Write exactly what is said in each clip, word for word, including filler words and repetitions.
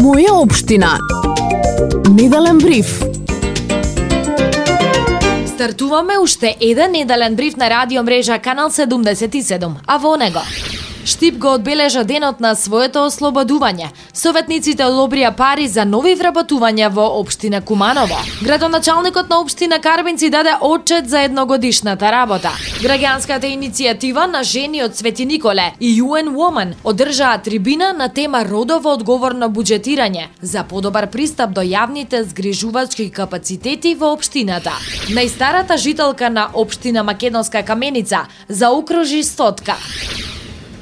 Моја општина. Неделен бриф. Стартуваме уште еден неделен бриф на радио мрежа Канал седумдесет и седум, а во него Штип го одбележа денот на своето ослободување. Советниците одобрија пари за нови вработувања во општина Куманово. Градоначалникот на општина Карбинци даде отчет за едногодишната работа. Граѓанската иницијатива на жени од Свети Николе и ю ен Women одржаа трибина на тема родово одговорно буџетирање за подобар пристап до јавните згрижувачки капацитети во општината. Најстарата жителка на општина Македонска Каменица заокружи стотка.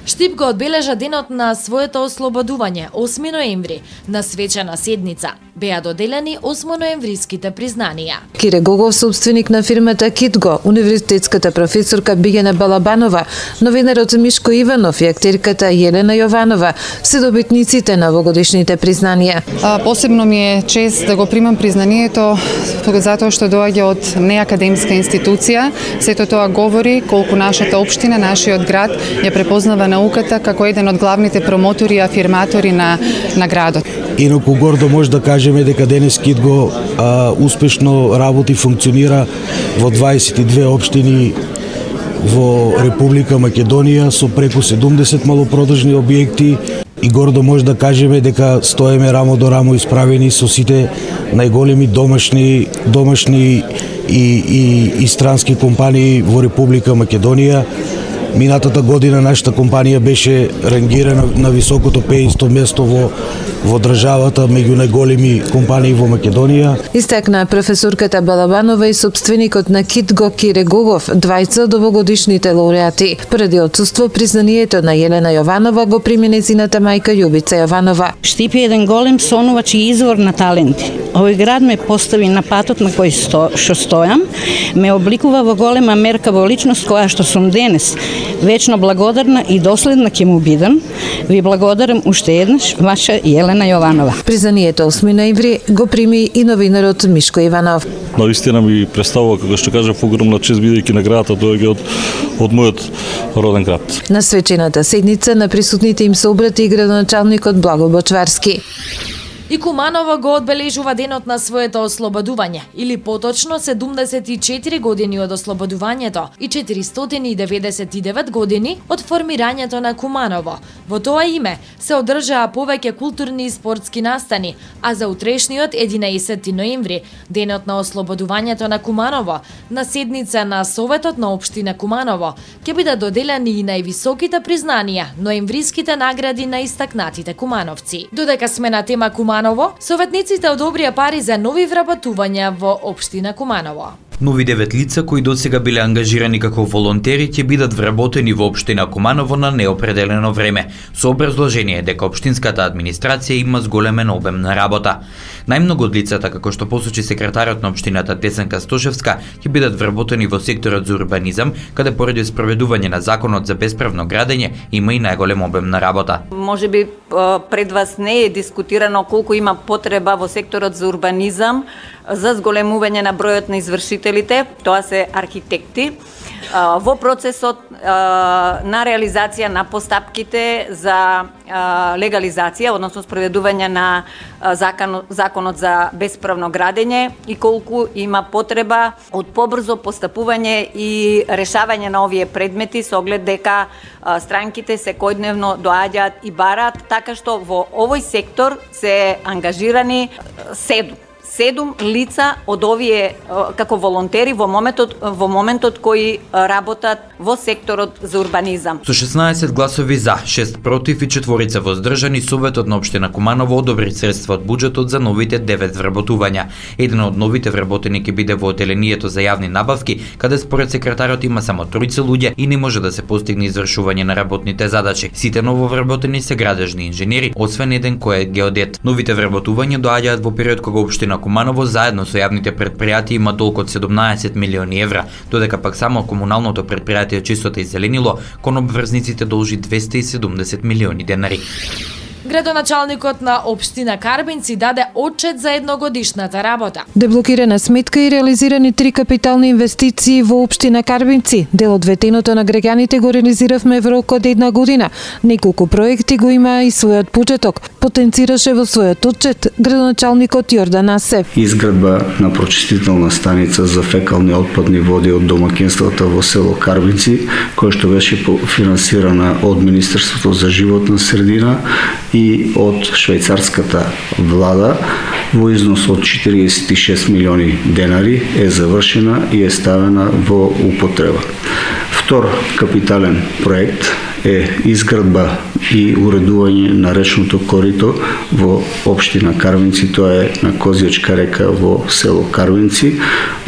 Штип го одбележа денот на своето ослободување, осми ноември, на свечена седница. Беа доделени осмоноемвриските признанија. Кире Гогов, собственик на фирмата Китго, универзитетската професорка Билјана Балабанова, новинарот Мишко Иванов и актерката Јелена Јованова се добитниците на овогодишните признанија. А, посебно ми е чест да го примам признанието затоа што доаѓа од неакадемска институција. Сето тоа говори колку нашата општина, нашиот град ја препознава науката како еден од главните промотори и афирматори на, на градот. Инаку гордо може да кажеме дека денес Китго а, успешно работи, функционира во дваесет и две општини во Република Македонија со преку седумдесет малопродажни објекти и гордо може да кажеме дека стоеме рамо до рамо исправени со сите најголеми домашни домашни и, и, и странски компании во Република Македонија. Минатата година нашата компанија беше рангирана на високото петдесето место во во државата меѓу најголеми компании во Македонија. Истакна професорката Балабанова и собственикот на Китго Кире Гогов, двајца од овогодишните лауреати. Поради отсуство признанието на Јелена Јованова го прими нејзината мајка Јубица Јованова. Штип е еден голем сонувач и извор на таленти. Овој град ме постави на патот на кој сто, што стојам, ме обликува во голема мерка во личност која што сум денес. Вечно благодарна и доследна ќе му бидам. Ви благодарам уште еднаш, ваша Јелена Јованова. Признанието осми ноември го прими и новинарот Мишко Иванов. Навистина ми представува, како што кажав, огромна чест бидејќи наградата доаѓа од од мојот роден град. На свечената седница на присутните им се обрати и градоначалникот Благо Бочварски. И Куманово го одбележува денот на своето ослободување, или поточно седумдесет и четири години од ослободувањето и четиристотини и деветдесет и девет години од формирањето на Куманово. Во тоа име се одржаа повеќе културни и спортски настани, а за утрешниот единаесети ноември, денот на ослободувањето на Куманово, на седница на Советот на општина Куманово, ќе бидат доделени и највисоките признанија, ноемвриските награди на истакнатите кумановци. Додека сме на тема Куманово, советниците одобрија пари за нови вработувања во општина Куманово. Нови девет лица кои досега биле ангажирани како волонтери ќе бидат вработени во општина Куманово на неопределено време, со образложение дека општинската администрација има зголемен обем на работа. Најмногу од лицата, како што посочи секретарот на општината Десанка Стошевска, ќе бидат вработени во секторот за урбанизам, каде поради спроведување на законот за бесправно градење има и најголем обем на работа. Можеби пред вас не е дискутирано колку има потреба во секторот за урбанизам за зголемување на бројот на извршителите, тоа се архитекти, во процесот на реализација на постапките за легализација, односно спроведување на законот за бесправно градење и колку има потреба од побрзо постапување и решавање на овие предмети со оглед дека странките секојдневно доаѓаат и бараат, така што во овој сектор се ангажирани седум. Седум лица од овие како волонтери во моментот во моментот кои работат во секторот за урбанизам. Со шеснаесет гласови за, шест против и четворица воздржани, Советот на општина Куманово одобри средства од буџетот за новите девет вработувања. Еден од новите вработени ќе биде во оделението за јавни набавки, каде според секретарот има само тројца луѓе и не може да се постигне извршување на работните задачи. Сите нововработени се градежни инженери, освен еден кој е геодет. Новите вработувања доаѓаат во период кога општина Куманово заедно со јавните претпријатија има долг од седумнаесет милиони евра, додека пак само комуналното претпријатие Чистота и зеленило кон обврзниците должи двесте и седумдесет милиони денари. Градоначалникот на општина Карбинци даде отчет за едногодишната работа. Деблокирана сметка и реализирани три капитални инвестиции во општина Карбинци. Дел од ветеното на граѓаните го реализиравме во рок од една година. Неколку проекти го има и својот почеток. потенцираше во својот отчет градоначалникот Јордан Асев. Изградба на прочистителна станица за фекални отпадни води од домаќинствата во село Карвинци, која што беше финансирана од Министерството за животна средина и од швајцарската влада во износ од четиридесет и шест милиони денари е завршена и е ставена во употреба. Втор капитален проект е изградба и уредување на речното корито во општина Карвинци, тоа е на Козјачка река во село Карвинци,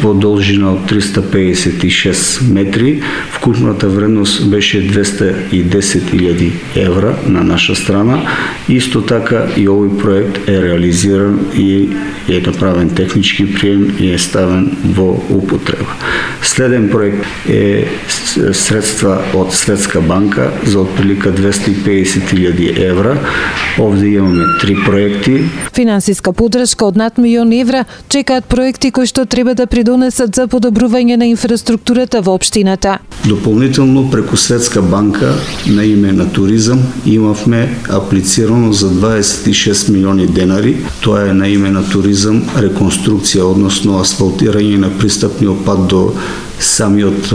во должина од триста педесет и шест метри. Вкупната вредност беше двеста и десет илјади евра на наша страна. Исто така и овој проект е реализиран и е направен технички прием и е ставен во употреба. Следен проект е средства од Светска банка за отприлика двеста и педесет илјади евра. Овде имаме три проекти. Финансиска подршка од над милион евра чекаат проекти кои што треба да придонесат за подобрување на инфраструктурата во општината. Дополнително преку Светска банка на име на туризам имавме аплицирано за дваесет и шест милиони денари. Тоа е на име на туризам реконструкција, односно асфалтирање на пристапниот пат до самиот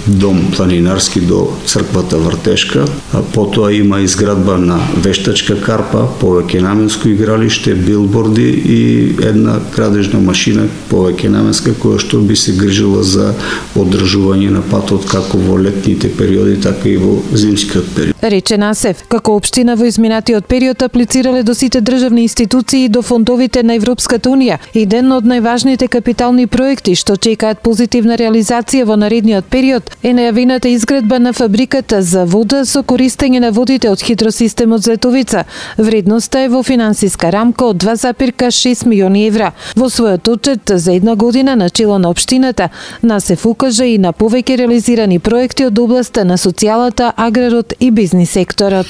дом планинарски до црквата Вртешка. Потоа има изградба на вештачка карпа, повеќе наменско игралиште, билборди и една крадежна машина повеќе наменска која што би се грижила за одржување на патот како во летните периоди, така и во зимскиот период. Рече Насев, како општина во изминатиот период аплицирале до сите државни институции и до фондовите на Европската унија. Еден од најважните капитални проекти што чекаат позитивна реализација во наредниот период е најавената изградба на фабриката за вода со користење на водите од хидросистемот Зетовица. Вредноста е во финансиска рамка од два запирка шест милиони евра. Во својот отчет за една година на чело на општината, Насев укажа и на повеќе реализирани проекти од областа на социјалата, аграрот и бизнис секторот.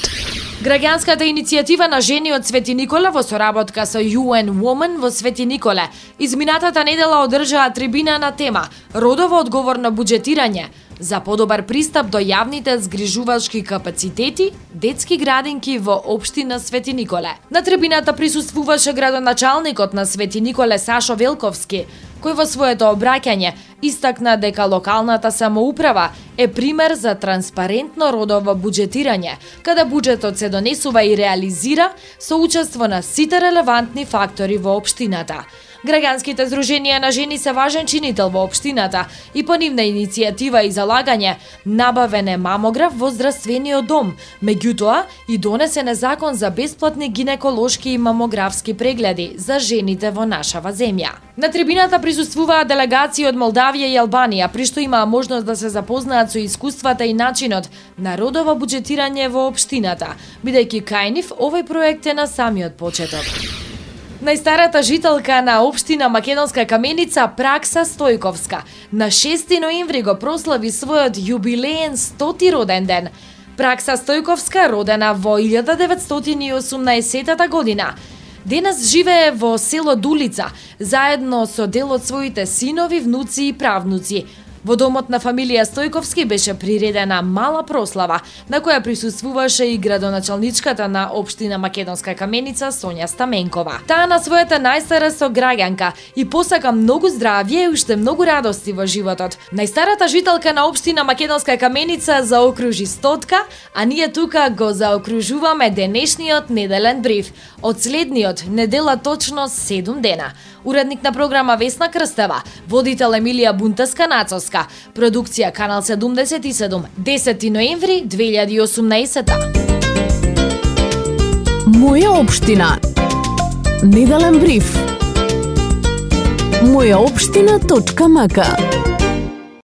Граѓанската иницијатива на жени од Свети Николе во соработка со ю ен Women во Свети Николе изминатата недела одржаа трибина на тема Родово одговорно буџетирање за подобар пристап до јавните згрижувачки капацитети, детски градинки во општина Свети Николе. На трибината присуствуваше градоначалникот на Свети Николе Сашо Велковски, кој во своето обраќање истакна дека локалната самоуправа е пример за транспарентно родово буџетирање, каде буџетот се донесува и реализира со учество на сите релевантни фактори во општината. Граѓанските здруженија на жени се важен чинител во општината и по нивна иницијатива и залагање набавен е мамограф во здравствениот дом, меѓутоа и донесен е закон за бесплатни гинеколошки и мамографски прегледи за жените во нашава земја. На трибината присуствуваа делегации од Молдавија и Албанија, при што имаа можност да се запознаат со искуствата и начинот на родово буџетирање во општината, бидејќи кај нив овој проект е на самиот почеток. Најстарата жителка на општина Македонска Каменица, Пракса Стојковска, на шести ноември го прослави својот јубилеен стоти роден ден. Пракса Стојковска, родена во илјада деветстотини и осумнаесетта година, денес живее во село Дулица, заедно со дел од своите синови, внуци и правнуци. Во домот на фамилија Стојковски беше приредена мала прослава, на која присуствуваше и градоначалничката на општина Македонска Каменица Сонја Стаменкова. Таа на својата најстара сограѓанка и посака многу здравје и уште многу радости во животот. Најстарата жителка на општина Македонска Каменица заокружи стотка, а ние тука го заокружуваме денешниот неделен бриф. Од следниот недела точно седум дена. Уредник на програма Весна Крстева, водител Емилија Бунтеска-Нацовска, продукција Канал седумдесет и седум, десети ноември две илјади и осумнаесетта. Моја општина. Неделен бриф. моја општина точка м к